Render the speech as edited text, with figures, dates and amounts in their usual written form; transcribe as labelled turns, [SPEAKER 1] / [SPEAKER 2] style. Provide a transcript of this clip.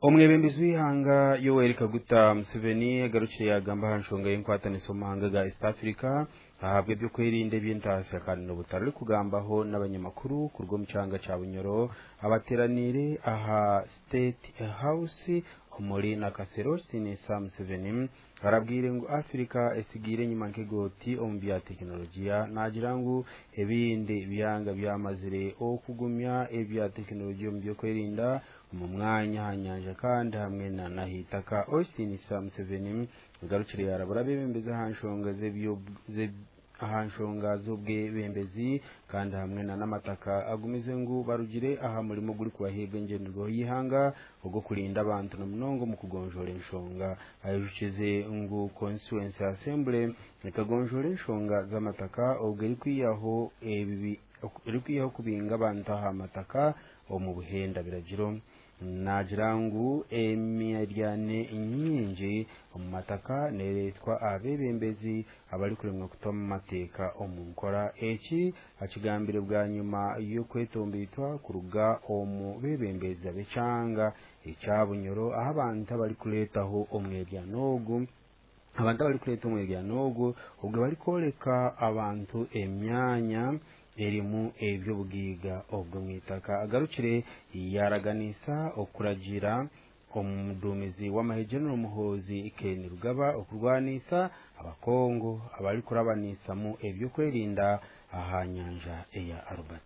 [SPEAKER 1] Omwebembezi w'ihanga Yoweri Kaguta Museveni agarukire yagamba aha nshonga y'enkwatanisa omu mahanga ga East Africa ahabw'ebyokwerinda eby'entaasya kandi n'obutari kugambaho n'abanyamakuru kuruga omu kyanga kya Bunyoro abateraniire aha State House omuri Nakasero. Kitiinisa Museveni arabwire ngu Africa esigiire enyima nk'egooti omu bya tekinologiya, naagira ngu ebindi byanga byamazire okugumya ebya tekinologiya omu by'okwerinda omu mwanya, aha nyanja kandi hamwe na n'ahaitaka. Owekitinisa Museveni agarukire yarabura abebembezi aha nshonga z'ebyo aha nshonga z'obwebembezi kandi hamwe na n'amataka, agumize ngu barugire aha murimo ogurikubaheebwa engyenderwaho y'ihanga ogw'okurinda abantu na munonga omu kugonjoora enshonga. Ayijukize ngu Constituency Assembly ekagonjoora enshonga z'amataka obwo erikwihaho ebibi erikwihaho kubinga abantu aha mataka omu buhenda biragiro. Naagira ngu emiryane nyingi omu mataka neereetwa abeebembezi abarikuremwa kuta mateeka omu nkora. Eki akigambire bwanyima y'okwetomboitwa kuruga omu beebembezi ab'ekyanga ekya Bunyoro, aho abantu abarikureetaho omweryano ogu abantu abarikureeta omweryano ogu obwo barikworeka abantu emyanya erimu eby'obugaiga obw'omwitaka. Agarukire yaraganisa okuragira omuduumizi w'amahe General Muhoozi Kainerugaba okurwanisa abakongo abarikurabanisamu ebyokwerinda aha nyanja eya Albert.